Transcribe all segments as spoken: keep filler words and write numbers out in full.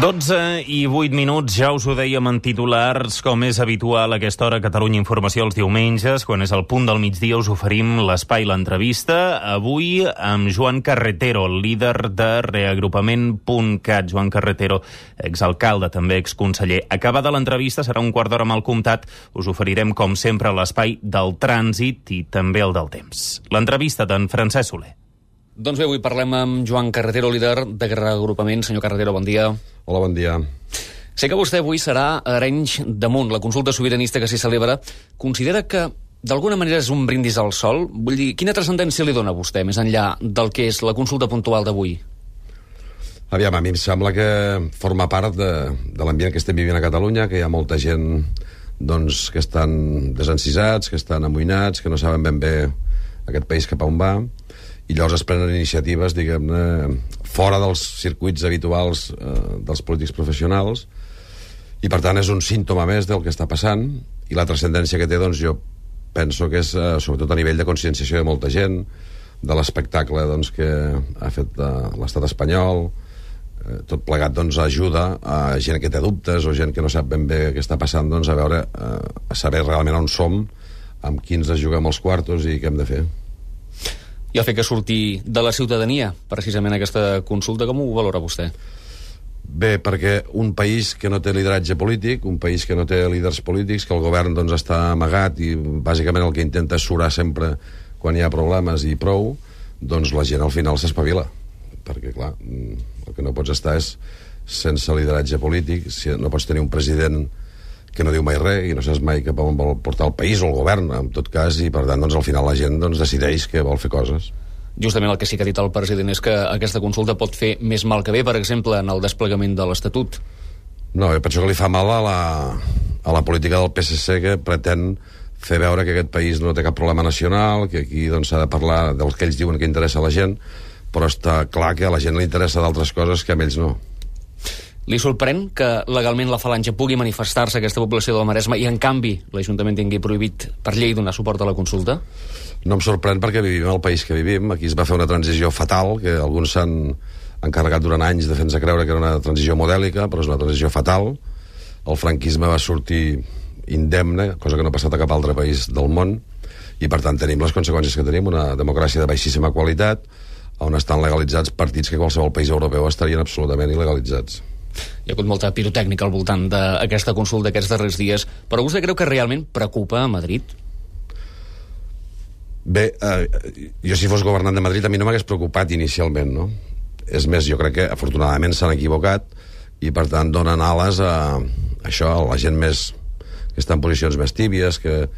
dotze i vuit minuts, ja us ho dèiem en titulars, com és habitual a aquesta hora Catalunya Informació els diumenges, quan és el punt del migdia us oferim l'espai l'entrevista, avui amb Joan Carretero, el líder de reagrupament punt cat. Joan Carretero, exalcalde, també exconseller. Acabada l'entrevista, serà un quart d'hora amb el comptat, us oferirem com sempre l'espai del trànsit i també el del temps. L'entrevista d'en Francesc Soler. Doncs bé, avui parlem amb Joan Carretero, líder de reagrupament. Senyor Carretero, bon dia. Hola, bon dia. Sé que vostè avui serà a Arenys de Munt, la consulta sobiranista que s'hi celebra. Considera que d'alguna manera és un brindis al sol? Vull dir, quina transcendència li dona a vostè, més enllà del que és la consulta puntual d'avui? Aviam, a mi em sembla que forma part de, de l'ambient que estem vivint a Catalunya, que hi ha molta gent doncs, que estan desencisats, que estan amoïnats, que no saben ben bé aquest país cap a on va, i llavors es prenen iniciatives, diguem-ne, fora dels circuits habituals eh, dels polítics professionals, i per tant és un símptoma més del que està passant, i la transcendència que té, doncs jo penso que és eh, sobretot a nivell de conscienciació de molta gent, de l'espectacle doncs, que ha fet eh, l'estat espanyol, eh, tot plegat doncs ajuda a gent que té dubtes o gent que no sap ben bé què està passant, doncs a veure, eh, a saber realment on som, amb qui ens juguem els quartos i què hem de fer. I el fet que surti de la ciutadania, precisament aquesta consulta, com ho valora vostè? Bé, perquè un país que no té lideratge polític, un país que no té líders polítics, que el govern doncs, està amagat i bàsicament el que intenta és surar sempre quan hi ha problemes i prou, doncs la gent al final s'espavila. Perquè, clar, el que no pots estar és sense lideratge polític, si no pots tenir un president que no diu mai res i no saps mai cap on vol portar el país o el govern, en tot cas, i per tant, doncs, al final la gent doncs, decideix que vol fer coses. Justament el que sí que ha dit el president és que aquesta consulta pot fer més mal que bé, per exemple, en el desplegament de l'Estatut. No, jo penso que li fa mal a la, a la política del P S C, que pretén fer veure que aquest país no té cap problema nacional, que aquí doncs, s'ha de parlar del que ells diuen que interessa a la gent, però està clar que a la gent li interessa d'altres coses que a ells no. Li sorprèn que legalment la Falange pugui manifestar-se a aquesta població del Maresme i, en canvi, l'Ajuntament tingui prohibit per llei donar suport a la consulta? No em sorprèn perquè vivim el país que vivim. Aquí es va fer una transició fatal, que alguns s'han encarregat durant anys de fer-nos creure que era una transició modèlica, però és una transició fatal. El franquisme va sortir indemne, cosa que no ha passat a cap altre país del món, i per tant tenim les conseqüències que tenim, una democràcia de baixíssima qualitat, on estan legalitzats partits que qualsevol país europeu estarien absolutament il·legalitzats. Hi ha hagut molta pirotècnica al voltant d'aquesta consulta aquests darrers dies, però vostè creu que realment preocupa a Madrid? Bé, eh, jo si fos governant de Madrid a mi no m'hagués preocupat inicialment, no? És més, jo crec que afortunadament s'han equivocat i per tant donen ales a, a això, a la gent més que està en posicions més tíbies, que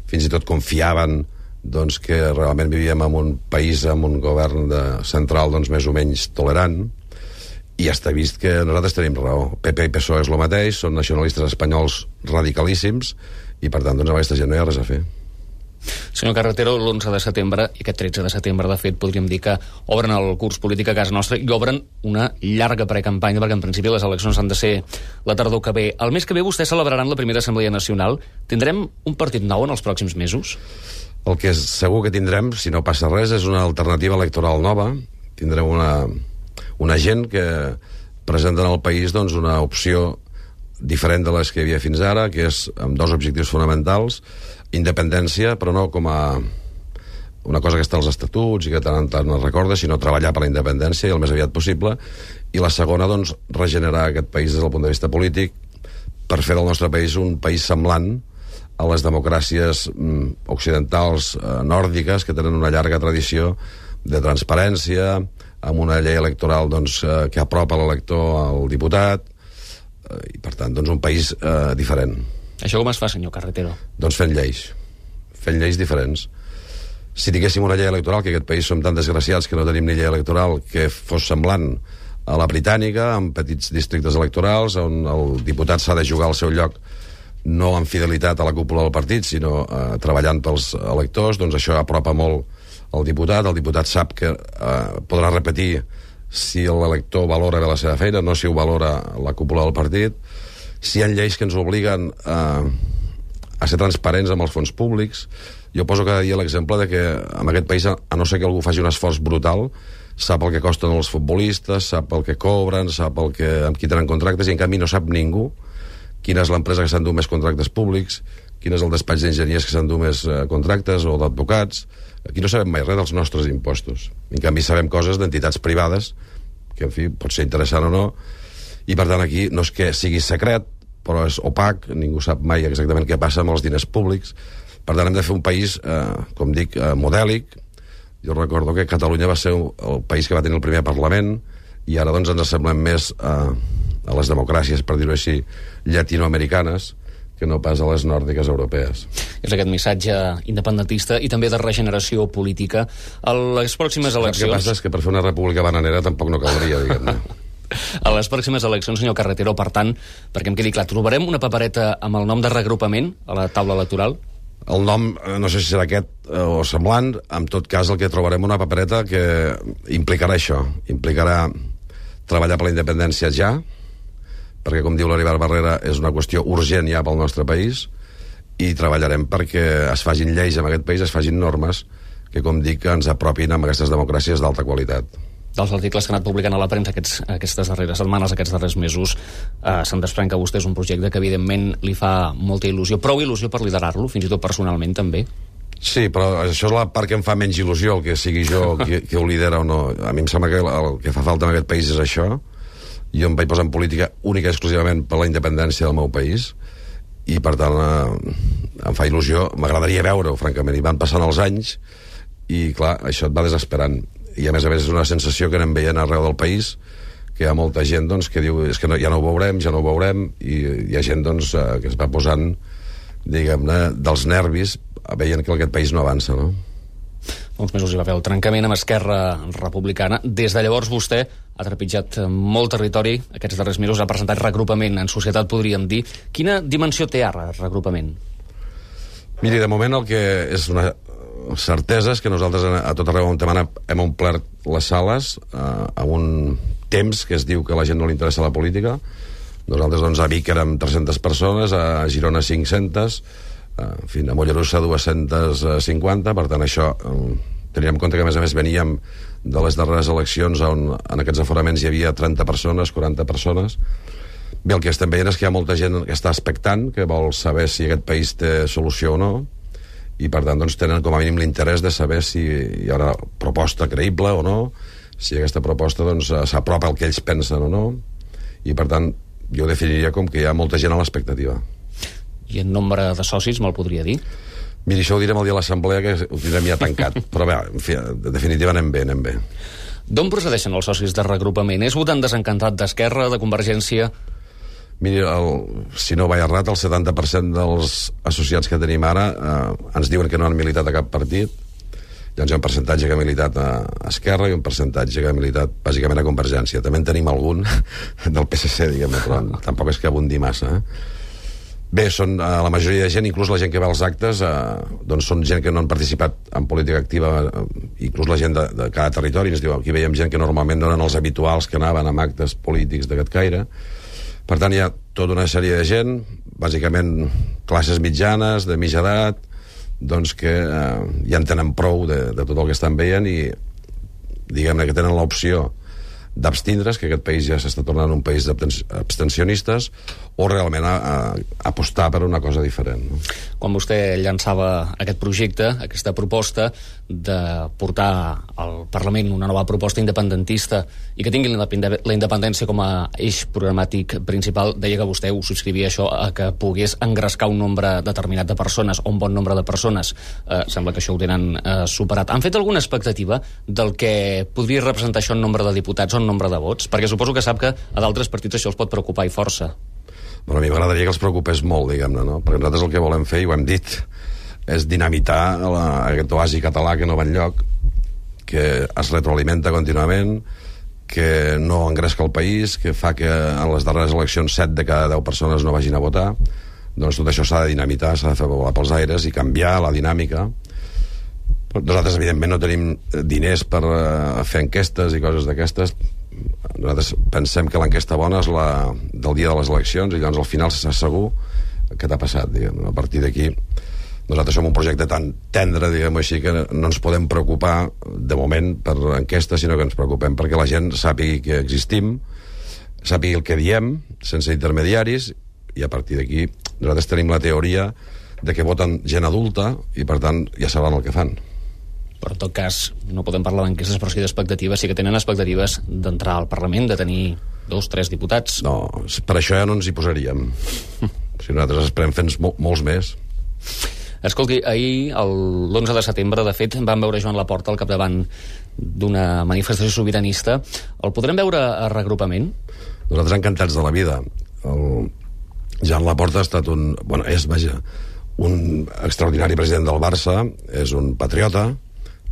fins i tot confiaven doncs, que realment vivíem en un país amb un govern de, central doncs, més o menys tolerant. I ja està vist que nosaltres tenim raó. P P i P S O E és el mateix, són nacionalistes espanyols radicalíssims i per tant doncs, amb aquesta gent no hi ha res a fer. Senyor Carretero, l'onze de setembre i aquest tretze de setembre, de fet, podríem dir que obren el curs polític a casa nostra i obren una llarga precampanya, perquè en principi les eleccions han de ser la tardor que ve. El mes que ve vostès celebraran la primera Assemblea Nacional. Tindrem un partit nou en els pròxims mesos? El que és segur que tindrem, si no passa res, és una alternativa electoral nova. Tindrem una una gent que presenten al país doncs, una opció diferent de les que hi havia fins ara, que és amb dos objectius fonamentals: independència, però no com a una cosa que està als estatuts i que tant en tant es recorda, sinó treballar per la independència i el més aviat possible, i la segona, doncs, regenerar aquest país des del punt de vista polític per fer del nostre país un país semblant a les democràcies mm, occidentals eh, nòrdiques, que tenen una llarga tradició de transparència, amb una llei electoral doncs, eh, que apropa l'elector al diputat, eh, i per tant doncs, un país eh, diferent. Això com es fa, senyor Carretero? Doncs fent lleis, fent lleis diferents. Si tinguéssim una llei electoral, que aquest país som tan desgraciats que no tenim ni llei electoral, que fos semblant a la britànica, amb petits districtes electorals, on el diputat s'ha de jugar al seu lloc no amb fidelitat a la cúpula del partit, sinó eh, treballant pels electors, doncs això apropa molt el diputat. El diputat sap que eh, podrà repetir si l'elector valora bé la seva feina, no si ho valora la cúpula del partit. Si hi ha lleis que ens obliguen eh, a ser transparents amb els fons públics, jo poso cada dia l'exemple de que en aquest país, a no ser que algú faci un esforç brutal, sap el que costen els futbolistes, sap el que cobren, sap el que, amb qui tenen contractes, i en canvi no sap ningú quina és l'empresa que s'endú més contractes públics, quin és el despatx d'enginyers que s'endú més eh, contractes o d'advocats. Aquí no sabem mai res dels nostres impostos. En canvi sabem coses d'entitats privades, que en fi, pot ser interessant o no, i per tant aquí no és que sigui secret, però és opac, ningú sap mai exactament què passa amb els diners públics. Per tant hem de fer un país, eh, com dic, eh, modèlic. Jo recordo que Catalunya va ser el país que va tenir el primer Parlament, i ara doncs ens assemblem més a, a les democràcies, per dir-ho així, llatinoamericanes, que no pas a les nòrdiques europees. És aquest missatge independentista i també de regeneració política. A les pròximes eleccions... El que passa és que per fer una república bananera tampoc no caldria, diguem-ne. A les pròximes eleccions, senyor Carretero, per tant, perquè em quedi clar, trobarem una papereta amb el nom de regrupament a la taula electoral? El nom, no sé si serà aquest o semblant, en tot cas el que trobarem una papereta que implicarà això, implicarà treballar per la independència ja, perquè, com diu l'Heribert Barrera, és una qüestió urgent ja pel nostre país, i treballarem perquè es facin lleis en aquest país, es facin normes que, com dic, ens apropin amb aquestes democràcies d'alta qualitat. Dels articles que ha anat publicant a la premsa aquests, aquestes darreres setmanes, aquests darrers mesos, eh, se'n desprèn que vostè és un projecte que, evidentment, li fa molta il·lusió. Prou il·lusió per liderar-lo, fins i tot personalment, també? Sí, però això és la part que em fa menys il·lusió, el que sigui jo qui, qui ho lidera o no. A mi em sembla que el que fa falta en aquest país és això. Jo em vaig posar en política única i exclusivament per la independència del meu país, i per tant eh, em fa il·lusió, m'agradaria veure-ho, francament, i van passant els anys i clar, això et va desesperant, i a més a més és una sensació que anem veient arreu del país, que hi ha molta gent doncs, que diu és que no, ja no ho veurem, ja no ho veurem, i hi ha gent doncs, eh, que es va posant, diguem-ne, dels nervis veient que aquest país no avança, no? Uns mesos hi va haver el trencament amb Esquerra Republicana. Des de llavors vostè ha trepitjat molt territori, aquests darrers mesos ha presentat regrupament en societat, podríem dir. Quina dimensió té ara regrupament? Miri, de moment el que és una certesa és que nosaltres a tot arreu on hem, hem omplert les sales eh, amb un temps que es diu que a la gent no li interessa la política. Nosaltres doncs, a Vic érem tres-centes persones, a Girona cinc-centes, en fi, a Mollerussa dues-centes cinquanta, per tant això eh, teníem en compte que a més a més veníem de les darreres eleccions on en aquests aforaments hi havia trenta persones, quaranta persones. Bé, el que estem veient és que hi ha molta gent que està expectant, que vol saber si aquest país té solució o no, i per tant doncs, tenen com a mínim l'interès de saber si hi ha una proposta creïble o no, si aquesta proposta doncs, s'apropa al que ells pensen o no, i per tant jo ho definiria com que hi ha molta gent a l'expectativa. I en nombre de socis me'l podria dir? Miri, això ho direm el dia de l'assemblea, que ho tindrem ja tancat, però bé, en fi, en definitiva anem bé, anem bé. D'on procedeixen els socis de regrupament? És votant desencantat d'Esquerra, de Convergència? Miri, el, si no vaig errat, el setanta per cent dels associats que tenim ara eh, ens diuen que no han militat a cap partit. Llavors hi ha un percentatge que ha militat a Esquerra i un percentatge que ha militat bàsicament a Convergència. També en tenim algun del P S C, diguem-ne, però tampoc és que abundi massa, eh? Bé, són eh, la majoria de gent, inclús la gent que va als actes, eh, doncs són gent que no han participat en política activa, eh, inclús la gent de, de cada territori. Ens diu, aquí veiem gent que normalment no eren els habituals que anaven amb actes polítics d'aquest caire. Per tant, hi ha tota una sèrie de gent, bàsicament classes mitjanes, de mitja edat, doncs que eh, ja en tenen prou de, de tot el que estan veient i diguem-ne que tenen l'opció d'abstindre's, que aquest país ja s'està tornant un país d'abstencionistes, o realment a, a apostar per una cosa diferent, no? Quan vostè llançava aquest projecte, aquesta proposta de portar al Parlament una nova proposta independentista i que tingui la independència com a eix programàtic principal, deia que vostè ho subscrivia això a que pogués engrescar un nombre determinat de persones o un bon nombre de persones. Eh, sembla que això ho tenen eh, superat. Han fet alguna expectativa del que podria representar això en nombre de diputats o en nombre de vots? Perquè suposo que sap que a d'altres partits això els pot preocupar i força. Bueno, a mi m'agradaria que els preocupés molt, diguem-ne, no? Perquè nosaltres el que volem fer, i ho hem dit, és dinamitar la, aquest oasi català que no va enlloc, que es retroalimenta contínuament, que no engresca el país, que fa que en les darreres eleccions set de cada deu persones no vagin a votar. Doncs tot això s'ha de dinamitar, s'ha de fer volar pels aires i canviar la dinàmica. Nosaltres, evidentment, no tenim diners per uh, fer enquestes i coses d'aquestes. Nosaltres pensem que l'enquesta bona és la del dia de les eleccions i llavors al final s'està segur què t'ha passat, diguem. A partir d'aquí Nosaltres som un projecte tan tendre, diguem-ho així, que no ens podem preocupar de moment per enquestes, sinó que ens preocupem perquè la gent sàpigui que existim, sàpigui el que diem, sense intermediaris, i a partir d'aquí nosaltres tenim la teoria de que voten gent adulta i, per tant, ja sabran el que fan. Però, en tot cas, no podem parlar d'enquestes, però sí d'expectatives. Sí que tenen expectatives d'entrar al Parlament, de tenir dos, tres diputats. No, per això ja no ens hi posaríem. Si nosaltres esperem fer mol, molts més. Escolti, ahir, l'onze de setembre, de fet, vam veure Joan Laporta al capdavant d'una manifestació sobiranista. El podrem veure a reagrupament? Nosaltres encantats de la vida. El Joan Laporta ha estat un... Bueno, és, vaja, un extraordinari president del Barça, és un patriota,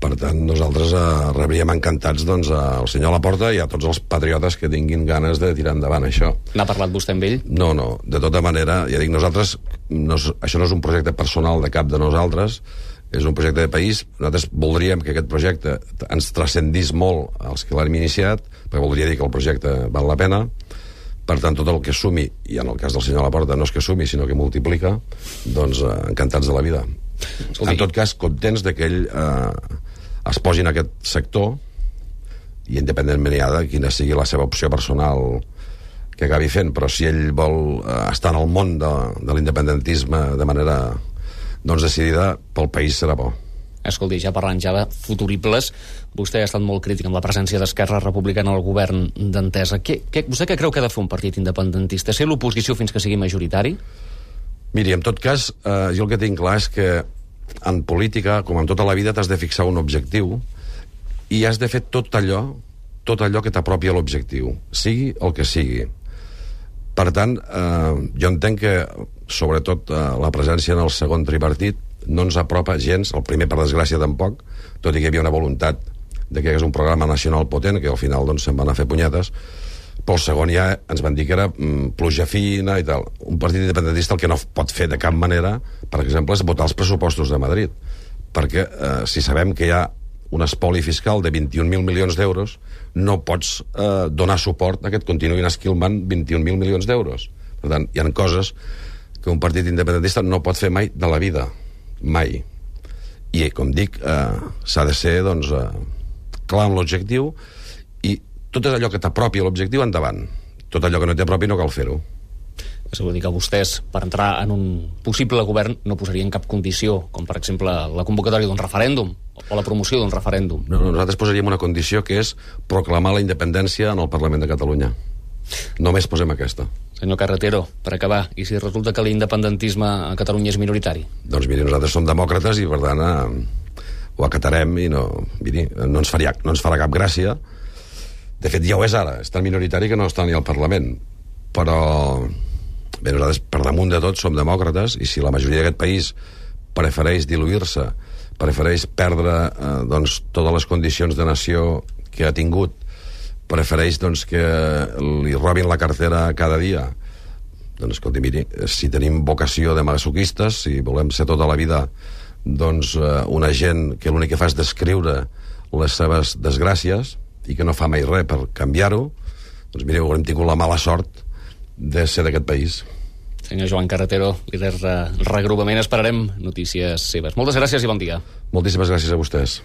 per tant, nosaltres eh, rebríem encantats doncs, al senyor Laporta i a tots els patriotes que tinguin ganes de tirar endavant això. N'ha parlat vostè amb ell? No, no, de tota manera, ja dic, nosaltres, no, això no és un projecte personal de cap de nosaltres, és un projecte de país. Nosaltres voldríem que aquest projecte ens transcendís molt als que l'hem iniciat, perquè voldria dir que el projecte val la pena. Per tant, tot el que sumi, i en el cas del senyor Laporta no és que sumi, sinó que multiplica, doncs eh, encantats de la vida. Escolti. En tot cas, contents de que ell eh, es posi en aquest sector, i independentment ja de quina sigui la seva opció personal que acabi fent, però si ell vol eh, estar en el món de, de l'independentisme de manera doncs, decidida, pel país serà bo. Escolti, ja parlant ja de futuribles, vostè ha estat molt crític amb la presència d'Esquerra Republicana al govern d'Entesa. Què, què, vostè què creu que ha de fer un partit independentista? Ser l'oposició fins que sigui majoritari? Miri, en tot cas, eh, jo el que tinc clar és que en política, com en tota la vida, t'has de fixar un objectiu i has de fer tot allò, tot allò que t'apropi a l'objectiu, sigui el que sigui. Per tant, eh, jo entenc que, sobretot, eh, la presència en el segon tripartit no ens apropa gens, el primer per desgràcia tampoc, tot i que hi havia una voluntat de que hi hagués un programa nacional potent, que al final doncs, se'n van a fer punyetes, però el segon ja ens van dir que era mm, pluja fina i tal. Un partit independentista el que no pot fer de cap manera, per exemple, és votar els pressupostos de Madrid, perquè eh, si sabem que hi ha un espoli fiscal de vint-i-un mil milions d'euros, no pots eh, donar suport a que et continuïn esquilmant vint-i-un mil milions d'euros. Per tant, hi ha coses que un partit independentista no pot fer mai de la vida, mai. I, com dic, eh, s'ha de ser doncs, eh, clar amb l'objectiu, i tot allò que t'apropi a l'objectiu, endavant. Tot allò que no t'apropi no cal fer-ho. És a dir que vostès, per entrar en un possible govern, no posarien cap condició, com per exemple la convocatòria d'un referèndum o la promoció d'un referèndum. No, nosaltres posaríem una condició que és proclamar la independència en el Parlament de Catalunya. Només posem aquesta. Senyor Carretero, per acabar, i si resulta que l'independentisme a Catalunya és minoritari? Doncs miri, nosaltres som demòcrates i per tant eh, ho acatarem i no, miri, no, ens faria, no ens farà cap gràcia. De fet, ja ho és ara, és tan minoritari que no està ni al Parlament. Però bé, nosaltres per damunt de tot som demòcrates i si la majoria d'aquest país prefereix diluir-se, prefereix perdre eh, doncs, totes les condicions de nació que ha tingut, prefereix doncs, que li robin la cartera cada dia, doncs escolti, miri, si tenim vocació de masoquistes, si volem ser tota la vida doncs, una gent que l'únic que fa és descriure les seves desgràcies i que no fa mai res per canviar-ho, doncs miri, haurem tingut la mala sort de ser d'aquest país. Senyor Joan Carretero, líder de reagrupament, esperarem notícies seves. Moltes gràcies i bon dia. Moltíssimes gràcies a vostès.